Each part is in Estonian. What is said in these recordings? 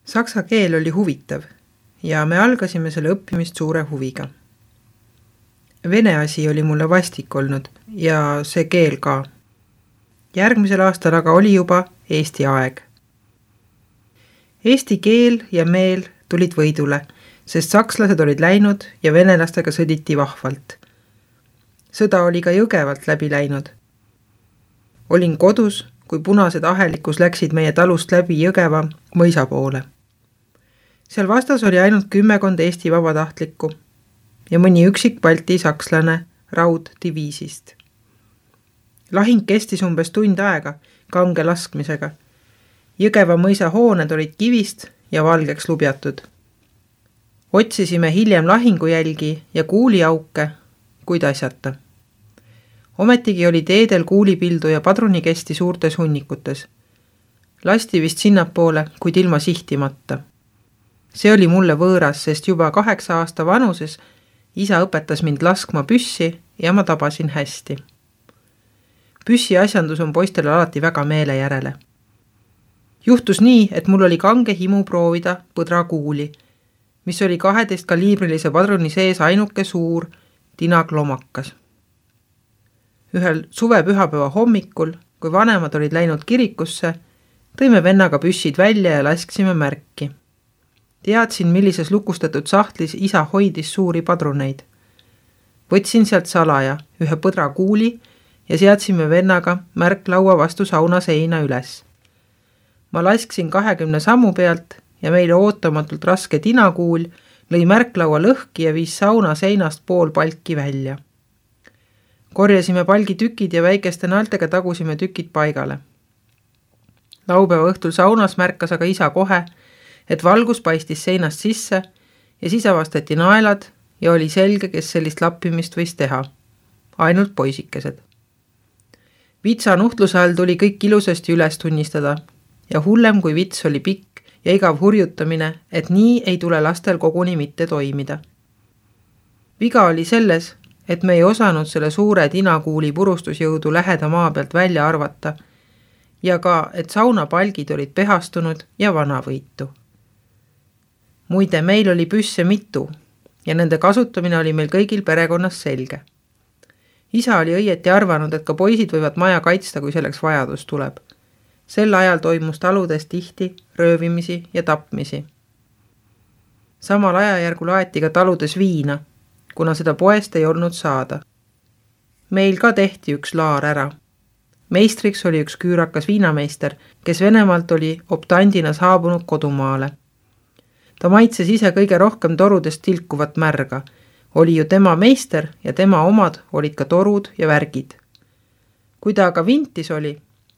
Saksa keel oli huvitav ja me algasime selle õppimist suure huviga. Vene asi oli mulle vastik olnud ja see keel ka. Järgmisel aastal aga oli juba Eesti aeg. Eesti keel ja meel tulid võidule, sest sakslased olid läinud ja venelastega sõditi vahvalt. Sõda oli ka Jõgevalt läbi läinud. Olin kodus, kui punased ahelikus läksid meie talust läbi Jõgeva mõisa poole. Seal vastas oli ainult 10 Eesti vabatahtlikku ja mõni üksik Balti sakslane rauddiviisist. Lahing kestis umbes tund aega kange laskmisega. Jõgeva mõisa hooned olid kivist ja valgeks lubjatud. Otsisime hiljem lahingujälgi ja kuuliauke, kuid asjata. Ometigi oli teedel kuulipildu ja padrunikesti suurtes hunnikutes. Lasti vist sinnapoole, kuid ilma sihtimata. See oli mulle võõras, sest juba 8 aasta vanuses isa õpetas mind laskma püssi ja ma tabasin hästi. Püssi asjandus on poistele alati väga meele järele. Juhtus nii, et mul oli kange himu proovida põdrakuuli, mis oli 12 kaliibrilise padruni sees ainuke suur tinaglomakas. Ühel suvepühapäeva hommikul, kui vanemad olid läinud kirikusse, tõime vennaga püssid välja ja lasksime märki. Teadsin, millises lukustatud sahtlis isa hoidis suuri padruneid. Võtsin sealt salaja ühe põdrakuuli ja seadsime vennaga märklaua vastu sauna seina üles. Ma lasksin 20 sammu pealt ja meile ootamatult raske tinakuul lõi märklaua lõhki ja viis sauna seinast pool palki välja. Korjasime palgi tükid ja väikeste naeltega tagusime tükid paigale. Laupäeva õhtul saunas märkas aga isa kohe, et valgus paistis seinast sisse ja siis avastati naelad ja oli selge, kes sellist lappimist võis teha. Ainult poisikesed. Vitsa nuhtluse all tuli kõik ilusasti üles tunnistada ja hullem kui vits oli pikk ja igav hurjutamine, et nii ei tule lastel koguni mitte toimida. Viga oli selles, et me ei osanud selle suure tinakuuli purustusjõudu läheda maa pealt välja arvata ja ka, et saunapalgid olid pehastunud ja vanavõitu. Muide, meil oli püsse mitu ja nende kasutamine oli meil kõigil perekonnas selge. Isa oli õieti arvanud, et ka poisid võivad maja kaitsta, kui selleks vajadus tuleb. Sel ajal toimus taludes tihti röövimisi ja tapmisi. Samal ajajärgul aeti ka taludes viina, kuna seda poest ei olnud saada. Meil ka tehti üks laar ära. Meistriks oli üks küürakas viinameister, kes Venemaalt oli optandina saabunud kodumaale. Ta maitses ise kõige rohkem torudest tilkuvat märga. Oli ju tema meister ja tema omad olid ka torud ja värgid. Kui ta aga vintis oli,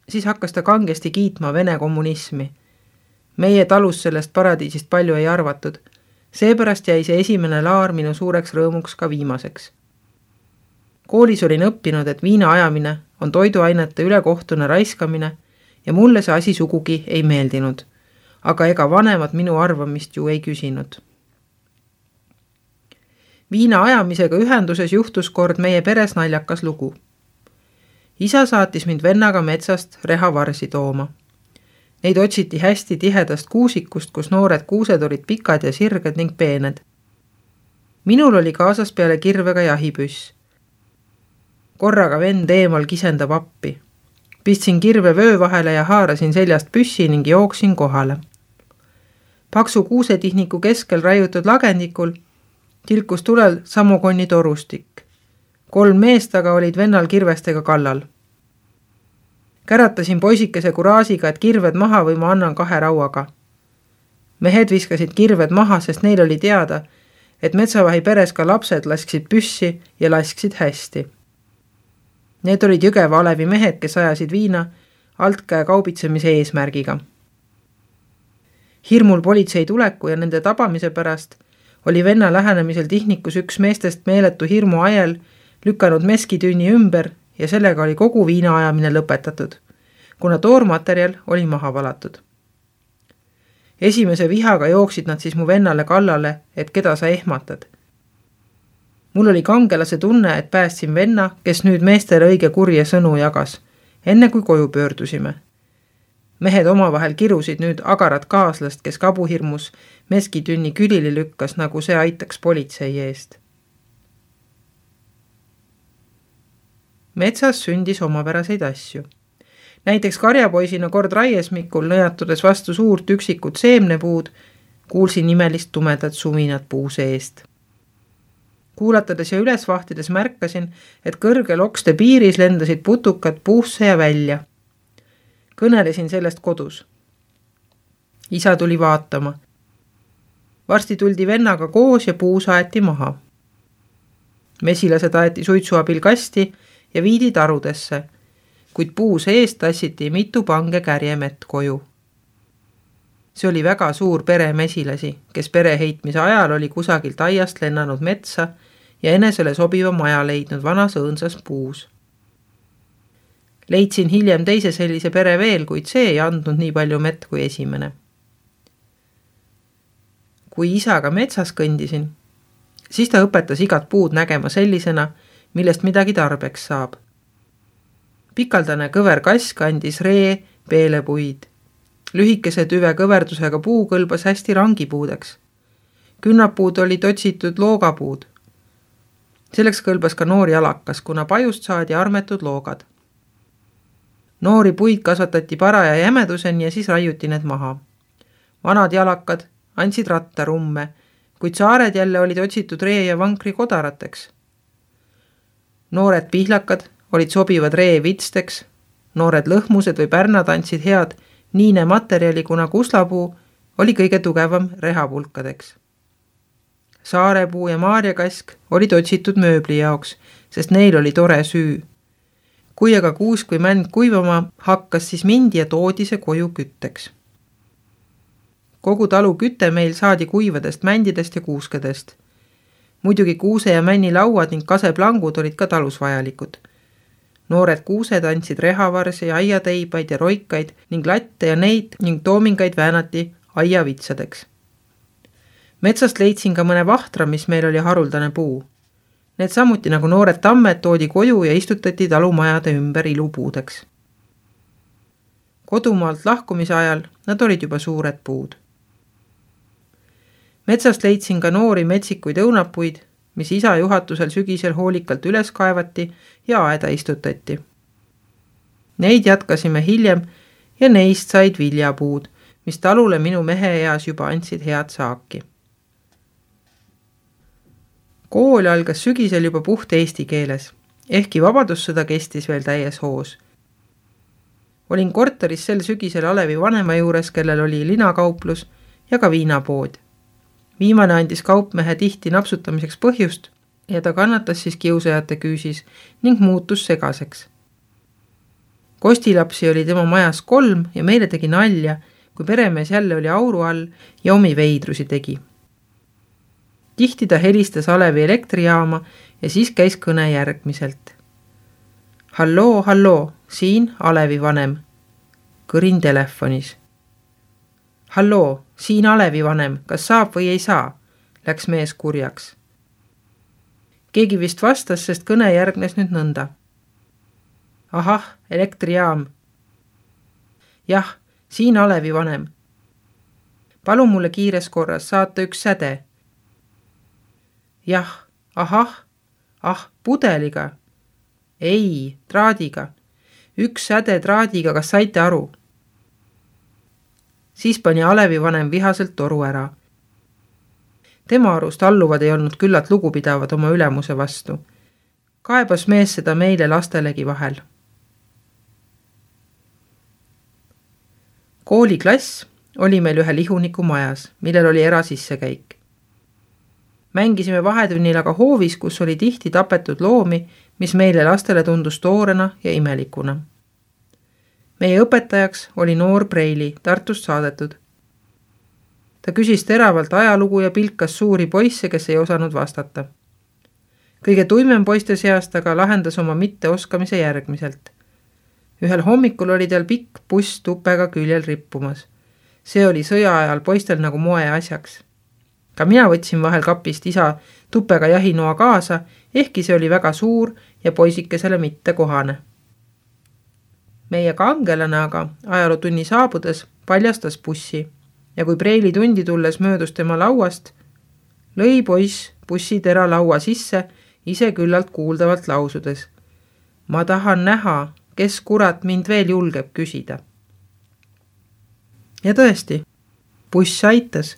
siis hakkas ta kangesti kiitma Vene kommunismi. Meie talus sellest paradiisist palju ei arvatud. Seepärast jäi see esimene laar minu suureks rõõmuks ka viimaseks. Koolis olin õppinud, et viina ajamine on toiduainete ülekohtune raiskamine ja mulle see asi sugugi ei meeldinud. Aga ega vanemad minu arvamist ju ei küsinud. Viina ajamisega ühenduses juhtus kord meie peres naljakas lugu. Isa saatis mind vennaga metsast rehavarsi tooma. Neid otsiti hästi tihedast kuusikust, kus noored kuused olid pikad ja sirged ning peened. Minul oli kaasas peale kirvega jahipüss. Korraga vend eemal kisendab appi. Pistsin kirve vöö vahele ja haarasin seljast püssi ning jooksin kohale. Paksu kuusetihniku keskel raiutud lagendikul tilkus tulel samokonni torustik. 3 meest aga olid vennal kirvestega kallal. Käratasin poisikese kuraasiga, et kirved maha või ma annan 2 rauaga. Mehed viskasid kirved maha, sest neil oli teada, et metsavahi peres ka lapsed lasksid püssi ja lasksid hästi. Need olid Jõgeva alevi mehed, kes ajasid viina altkäe kaubitsemise eesmärgiga. Hirmul politsei tuleku ja nende tabamise pärast oli venna lähenemisel tihnikus üks meestest meeletu hirmu ajel lükanud meskitüüni ümber ja sellega oli kogu viina ajamine lõpetatud, kuna toormaterjal oli maha valatud. Esimese vihaga jooksid nad siis mu vennale kallale, et keda sa ehmatad. Mul oli kangelase tunne, et päästsin venna, kes nüüd meestele õige kurje sõnu jagas, enne kui koju pöördusime. Mehed omavahel kirusid nüüd agarat kaaslast, kes kabuhirmus meskitünni külili lükkas, nagu see aitaks politsei eest. Metsas sündis omapäraseid asju. Näiteks karjapoisina kord raiesmikul nõjatudes vastu suurt üksikut seemnepuud, kuulsin imelist tumedat suminat puu seest. Kuulatades ja üles vahtides märkasin, et kõrgel okste piiris lendasid putukad puusse ja välja. Kõnelesin sellest kodus. Isa tuli vaatama. Varsti tuldi vennaga koos ja puu saeti maha. Mesilased aeti suitsu abil kasti ja viidi tarudesse, kuid puu seest tassiti mitu pange kärjemett koju. See oli väga suur pere mesilasi, kes pereheitmise ajal oli kusagilt aiast lennanud metsa ja enesele sobiva maja leidnud vanas õõnsas puus. Leidsin hiljem teise sellise pere veel, kuid see ei andnud nii palju mett kui esimene. Kui isaga metsas kõndisin, siis ta õpetas igat puud nägema sellisena, millest midagi tarbeks saab. Pikaldane kõver kask andis ree peelepuid. Lühikese tüve kõverdusega puu kõlbas hästi rangipuudeks. Künnapuud olid otsitud loogapuud. Selleks kõlbas ka noor jalakas, kuna pajust saadi armetud loogad. Noori puid kasvatati paraja jämeduseni ja siis raiuti need maha. Vanad jalakad andsid rattarumme, kuid saared jälle olid otsitud ree ja vankri kodarateks. Noored pihlakad olid sobivad ree vitsteks, noored lõhmused või pärnad andsid head niine materjali, kuna kuslapuu oli kõige tugevam rehapulkadeks. Saarepuu ja maarjakask olid otsitud mööbli jaoks, sest neil oli tore süü. Kui aga kuusk või mänd kuivama hakkas, siis mindi ja toodi see koju kütteks. Kogu talu küte meil saadi kuivadest mändidest ja kuuskedest. Muidugi kuuse ja männi lauad ning kaseplangud olid ka talus vajalikud. Noored kuused andsid rehavarsi, aiateibaid ja roikaid ning latte ja neid ning toomingaid väänati aiavitsadeks. Metsast leidsin ka mõne vahtra, mis meil oli haruldane puu. Need samuti nagu noored tammed toodi koju ja istutati talumajade ümber ilupuudeks. Kodumaalt lahkumise ajal nad olid juba suured puud. Metsast leidsin ka noori metsikuid õunapuid, mis isa juhatusel sügisel hoolikalt üles kaevati ja aeda istutati. Neid jätkasime hiljem ja neist said viljapuud, mis talule minu mehe eas juba andsid head saaki. Kool algas sügisel juba puht eesti keeles, ehkki vabadussõda kestis veel täies hoos. Olin korteris sel sügisel Alevi vanema juures, kellel oli linakauplus ja ka viinapood. Viimane andis kaupmehe tihti napsutamiseks põhjust ja ta kannatas siis kiusajate küüsis ning muutus segaseks. Kostilapsi oli tema majas 3 ja meile tegi nalja, kui peremees jälle oli auru all ja omi veidrusi tegi. Tihti ta helistas Alevi elektrijaama ja siis käis kõne järgmiselt. Halloo, halloo, siin Alevi vanem. Kõrin telefonis. Halloo, siin Alevi vanem, kas saab või ei saa? Läks mees kurjaks. Keegi vist vastas, sest kõne järgnes nüüd nõnda. Ahah, elektrijaam. Jah, siin Alevi vanem. Palun mulle kiires korras saata üks säde. Jah, ahah, pudeliga. Ei, traadiga. Üks säde traadiga, kas saite aru? Siis pani Alevi vanem vihaselt toru ära. Tema arust alluvad ei olnud küllalt lugupidavad oma ülemuse vastu. Kaebas mees seda meile lastelegi vahel. Kooliklass oli meil ühe lihuniku majas, millel oli erasissekäik. Mängisime vahetunnil aga hoovis, kus oli tihti tapetud loomi, mis meile lastele tundus toorena ja imelikuna. Meie õpetajaks oli noor Preili, Tartust saadetud. Ta küsis teravalt ajalugu ja pilkas suuri poisse, kes ei osanud vastata. Kõige tuimem poiste seast aga lahendas oma mitteoskamise järgmiselt. Ühel hommikul oli tal pikk buss tupega küljel rippumas. See oli sõja ajal poistel nagu moe asjaks. Ka mina võtsin vahel kapist isa tupega jahinoa kaasa, ehkki see oli väga suur ja poisikesele mitte kohane. Meie kangelane aga ajalootunni saabudes paljastas bussi ja kui Preili tundi tulles möödus tema lauast, lõi poiss bussitera laua sisse ise küllalt kuuldavalt lausudes. Ma tahan näha, kes kurat mind veel julgeb küsida. Ja tõesti, buss aitas.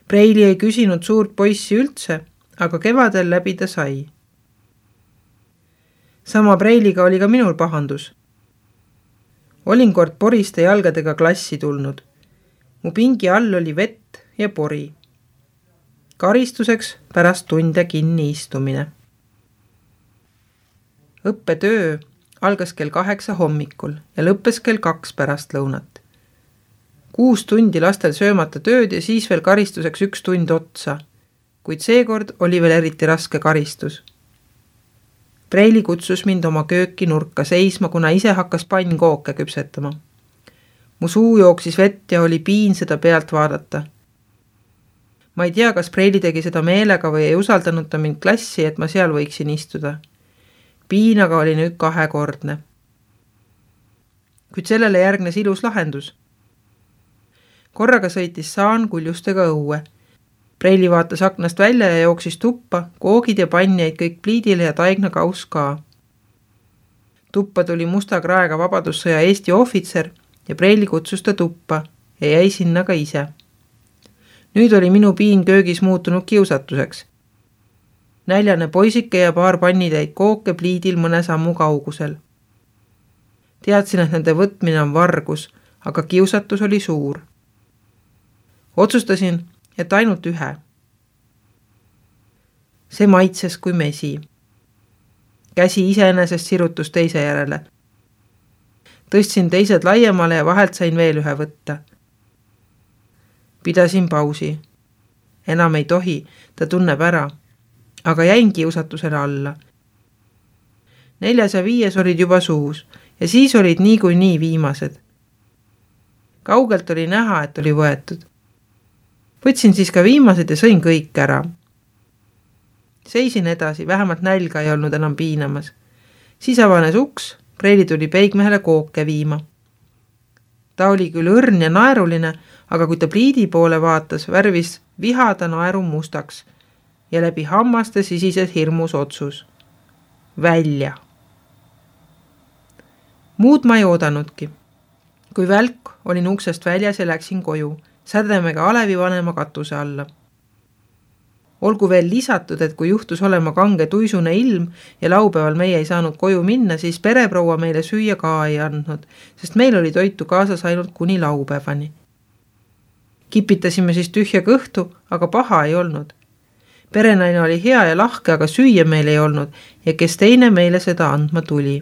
Preili ei küsinud suurt poissi üldse, aga kevadel läbi ta sai. Sama Preiliga oli ka minul pahandus. Olin kord poriste jalgadega klassi tulnud. Mu pingi all oli vett ja pori. Karistuseks pärast tunde kinni istumine. Õppetöö algas kell 8 hommikul ja lõppes kell 2 pärast lõunat. 6 tundi lastel söömata tööd ja siis veel karistuseks 1 tund otsa, kuid seekord oli veel eriti raske karistus. Preili kutsus mind oma kööki nurka seisma, kuna ise hakkas pannkooke küpsetama. Mu suu jooksis vett ja oli piin seda pealt vaadata. Ma ei tea, kas Preili tegi seda meelega või ei usaldanud ta mind klassi, et ma seal võiksin istuda. Piin aga oli nüüd 2-kordne. Kuid sellele järgnes ilus lahendus. Korraga sõitis Saan kuljustega õue. Preili vaatas aknast välja ja jooksis tuppa, koogid ja pann jäid kõik pliidile ja taigna kaus ka. Tuppa tuli musta kraega vabadussõja Eesti ohvitser ja Preili kutsus ta tuppa ja jäi sinna ka ise. Nüüd oli minu piin köögis muutunud kiusatuseks. Näljane poisike ja paar pannitäid kooke pliidil mõne sammu kaugusel. Teadsin, et nende võtmine on vargus, aga kiusatus oli suur. Otsustasin, et ainult ühe. See maitses kui mesi. Käsi iseenesest sirutus teise järele. Tõstsin teised laiemale ja vahelt sain veel ühe võtta. Pidasin pausi. Enam ei tohi, ta tunneb ära, aga jäin kiusatusele alla. 4 ja 5 olid juba suus ja siis olid niikuinii viimased. Kaugelt oli näha, et oli võetud. Võtsin siis ka viimased ja sõin kõik ära. Seisin edasi, vähemalt nälga ei olnud enam piinamas. Siis avanes uks, Preili tuli peigmehele kooke viima. Ta oli küll õrn ja naeruline, aga kui ta pliidi poole vaatas, värvis vihada naeru mustaks ja läbi hammaste sisises hirmus otsus. Välja. Muud ma ei oodanudki. Kui välk olin uksest väljas ja läksin koju, sädemega Alevi vanema katuse alla. Olgu veel lisatud, et kui juhtus olema kange tuisune ilm ja laupäeval meie ei saanud koju minna, siis pereproua meile süüa ka ei andnud, sest meil oli toitu kaasas ainult kuni laupäevani. Kipitasime siis tühja kõhtu, aga paha ei olnud. Perenaine oli hea ja lahke, aga süüa meil ei olnud ja kes teine meile seda andma tuli.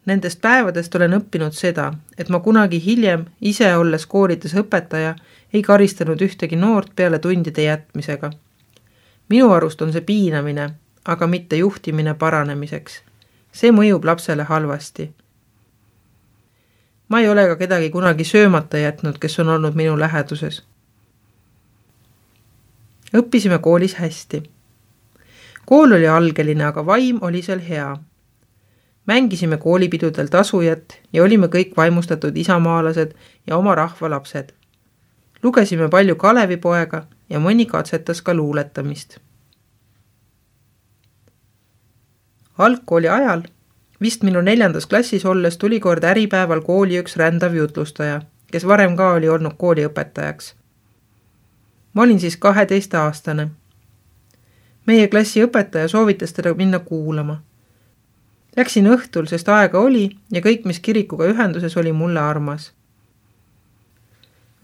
Nendest päevadest olen õppinud seda, et ma kunagi hiljem, ise olles koolides õpetaja, ei karistanud ühtegi noort peale tundide jätmisega. Minu arust on see piinamine, aga mitte juhtimine paranemiseks. See mõjub lapsele halvasti. Ma ei ole ka kedagi kunagi söömata jätnud, kes on olnud minu läheduses. Õppisime koolis hästi. Kool oli algeline, aga vaim oli seal hea. Mängisime koolipidudel tasujat ja olime kõik vaimustatud isamaalased ja oma rahva lapsed. Lugesime palju Kalevipoega ja mõni katsetas ka luuletamist. Algkooli ajal, vist minu 4. klassis olles, tuli kord äripäeval kooli üks rändav jutlustaja, kes varem ka oli olnud kooliõpetajaks. Ma olin siis 12-aastane. Meie klassi õpetaja soovitas teda minna kuulama. Läksin õhtul, sest aega oli ja kõik, mis kirikuga ühenduses, oli mulle armas.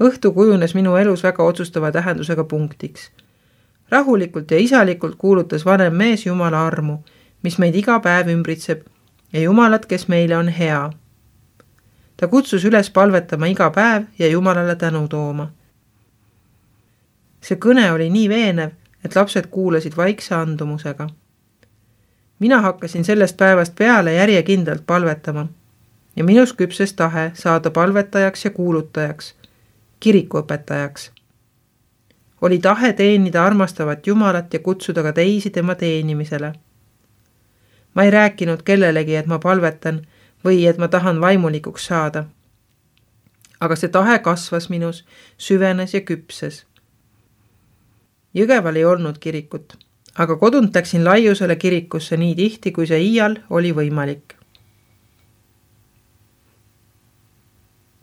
Õhtu kujunes minu elus väga otsustava tähendusega punktiks. Rahulikult ja isalikult kuulutas vanem mees Jumala armu, mis meid iga päev ümbritseb ja Jumalat, kes meile on hea. Ta kutsus üles palvetama iga päev ja Jumalale tänu tooma. See kõne oli nii veenev, et lapsed kuulasid vaikse andumusega. Mina hakkasin sellest päevast peale järjekindlalt palvetama ja minus küpses tahe saada palvetajaks ja kuulutajaks, kirikuõpetajaks. Oli tahe teenida armastavat Jumalat ja kutsuda ka teisi tema teenimisele. Ma ei rääkinud kellelegi, et ma palvetan või et ma tahan vaimulikuks saada. Aga see tahe kasvas minus, süvenes ja küpses. Jõgeval ei olnud kirikut, aga kodunt läksin Laiusele kirikusse nii tihti, kui see iial oli võimalik.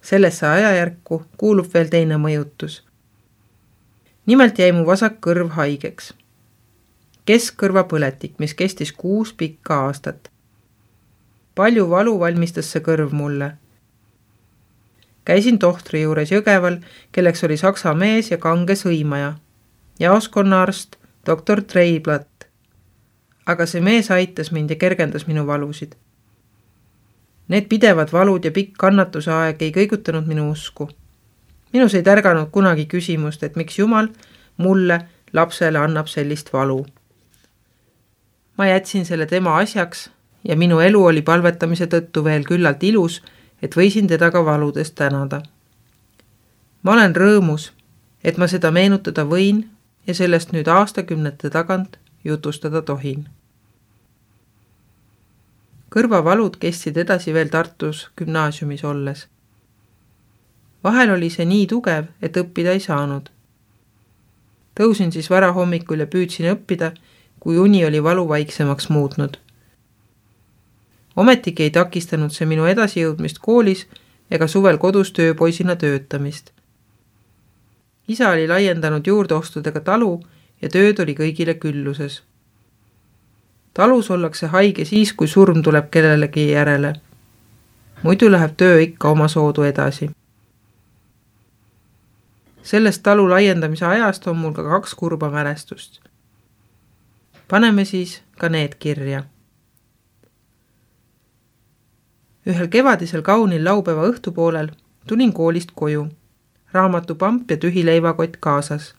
Sellesse ajajärku kuulub veel teine mõjutus. Nimelt jäi mu vasak kõrv haigeks. Keskkõrvapõletik, mis kestis 6 pikka aastat. Palju valu valmistas see kõrv mulle. Käisin tohtri juures Jõgeval, kelleks oli saksa mees ja kange sõimaja, jaoskonnaarst doktor Treiblatt. Aga see mees aitas mind ja kergendas minu valusid. Need pidevad valud ja pikk kannatuse aeg ei kõigutanud minu usku. Minus ei tärganud kunagi küsimust, et miks Jumal mulle, lapsele, annab sellist valu. Ma jätsin selle tema asjaks ja minu elu oli palvetamise tõttu veel küllalt ilus, et võisin teda ka valudest tänada. Ma olen rõõmus, et ma seda meenutada võin ja sellest nüüd aastakümnete tagant jutustada tohin. Kõrvavalud kestsid edasi veel Tartus gümnaasiumis olles. Vahel oli see nii tugev, et õppida ei saanud. Tõusin siis varahommikul ja püüdsin õppida, kui uni oli valu vaiksemaks muutnud. Ometigi ei takistanud see minu edasijõudmist koolis ega suvel kodus tööpoisina töötamist. Isa oli laiendanud juurdeostudega talu ja tööd oli kõigile külluses. Talus ollakse haige siis, kui surm tuleb kellelegi järele. Muidu läheb töö ikka oma soodu edasi. Sellest talu laiendamise ajast on mul ka 2 kurba mälestust. Paneme siis ka need kirja. Ühel kevadisel kaunil laupäeva õhtupoolel tulin koolist koju, raamatupamp ja tühi leivakott kaasas.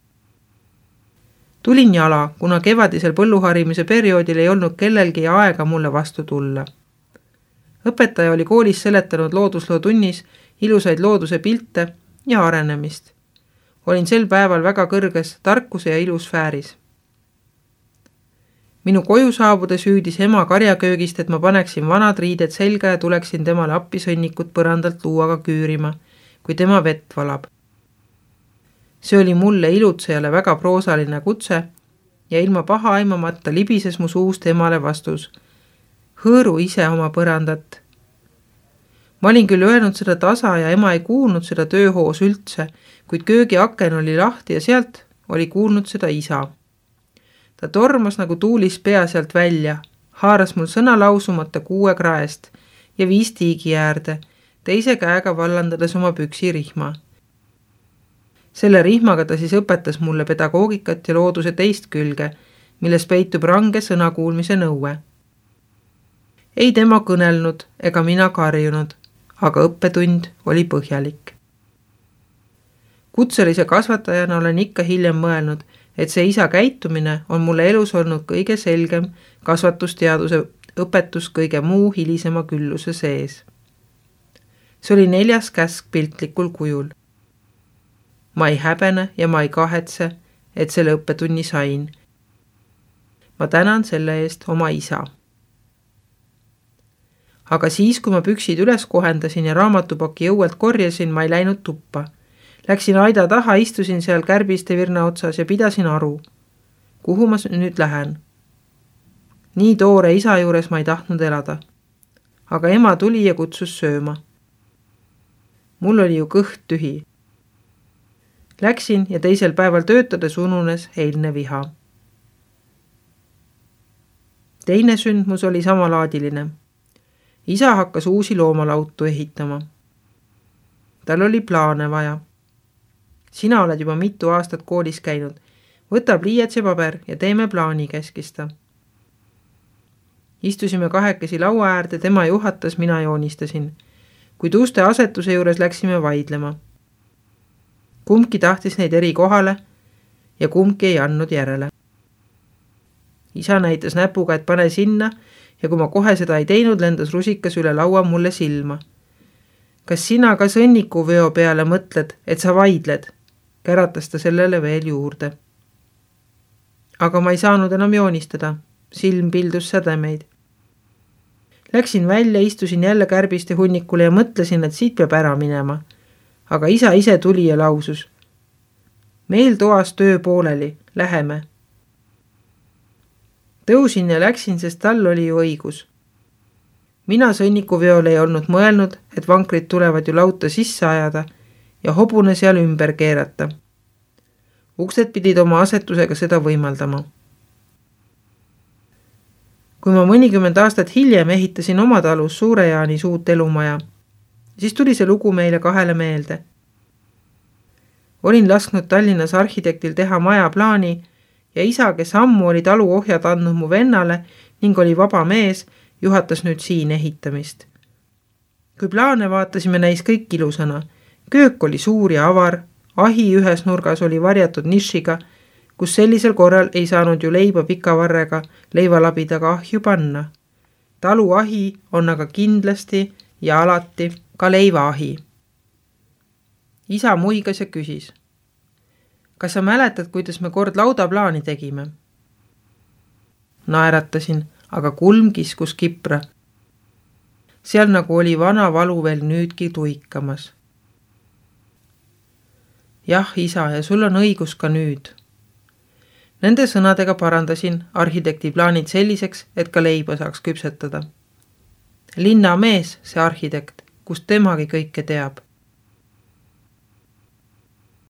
Tulin jala, kuna kevadisel põlluharimise perioodil ei olnud kellelgi aega mulle vastu tulla. Õpetaja oli koolis seletanud loodusloo tunnis ilusaid looduse pilte ja arenemist. Olin sel päeval väga kõrges tarkuse ja ilusfääris. Minu koju saabudes hüüdis ema karjaköögist, et ma paneksin vanad riided selga ja tuleksin temale appi sõnnikut põrandalt luuaga küürima, kui tema vett valab. See oli mulle ilutsejale väga proosaline kutse ja ilma paha aimamata libises mu suust emale vastus. Hõõru ise oma põrandat. Ma olin küll öelnud seda tasa ja ema ei kuulnud seda tööhoos üldse, kuid köögi aken oli lahti ja sealt oli kuulnud seda isa. Ta tormas nagu tuulis pea sealt välja, haaras mul sõna lausumata 6 kraest ja viis tiigi äärde, teise käega vallandades oma püksirihma. Selle rihmaga ta siis õpetas mulle pedagoogikat ja looduse teist külge, milles peitub range sõnakuulmise nõue. Ei tema kõnelnud ega mina karjunud, aga õppetund oli põhjalik. Kutselise kasvatajana olen ikka hiljem mõelnud, et see isa käitumine on mulle elus olnud kõige selgem kasvatusteaduse õpetus kõige muu hilisema külluse sees. See oli 4. käsk piltlikul kujul. Ma ei häbene ja ma ei kahetse, et selle õppetunni sain. Ma tänan selle eest oma isa. Aga siis, kui ma püksid üles kohendasin ja raamatupaki õuelt korjasin, ma ei läinud tuppa. Läksin aida taha, istusin seal kärbiste virna otsas ja pidasin aru. Kuhu ma nüüd lähen? Nii toore isa juures ma ei tahtnud elada. Aga ema tuli ja kutsus sööma. Mul oli ju kõht tühi. Läksin ja teisel päeval töötades ununes eilne viha. Teine sündmus oli samalaadiline. Isa hakkas uusi loomalautu ehitama. Tal oli plaane vaja. Sina oled juba mitu aastat koolis käinud. Võta pliiats ja paber ja teeme plaani, käskis ta. Istusime 2 laua äärde, tema juhatas, mina joonistasin. Kuid uste asetuse juures läksime vaidlema. Kumbki tahtis neid eri kohale ja kumbki ei andnud järele. Isa näitas näpuga, et pane sinna ja kui ma kohe seda ei teinud, lendas rusikas üle laua mulle silma. Kas sina ka sõnnikuveo peale mõtled, et sa vaidled? Käratas ta sellele veel juurde. Aga ma ei saanud enam joonistada. Silm pildus sädemeid. Läksin välja, istusin jälle kärbiste hunnikule ja mõtlesin, et siit peab ära minema. Aga isa ise tuli ja lausus. Meil toas töö pooleli, läheme. Tõusin ja läksin, sest tal oli ju õigus. Mina sõnnikuveole ei olnud mõelnud, et vankrid tulevad ju lauta sisse ajada ja hobune seal ümber keerata. Uksed pidid oma asetusega seda võimaldama. Kui ma mõnikümmend aastat hiljem ehitasin oma talus Suure-Jaanis uut elumaja, siis tuli see lugu meile kahele meelde. Olin lasknud Tallinnas arhitektil teha maja plaani ja isa, kes ammu oli taluohjad andnud mu vennale ning oli vaba mees, juhatas nüüd siin ehitamist. Kui plaane vaatasime, näis kõik ilusana. Köök oli suur ja avar, ahi ühes nurgas oli varjatud nišiga, kus sellisel korral ei saanud ju leiba pika varrega leivalabidaga ahju panna. Talu ahi on aga kindlasti ja alati ka leivaahi. Isa muigas ja küsis. Kas sa mäletad, kuidas me kord laudaplaani tegime? Naeratasin, aga kulm kiskus kipra. Seal nagu oli vana valu veel nüüdki tuikamas. Jah, isa, ja sul on õigus ka nüüd. Nende sõnadega parandasin arhitekti plaanid selliseks, et ka leiba saaks küpsetada. Linnamees, see arhitekt, kust temagi kõike teab.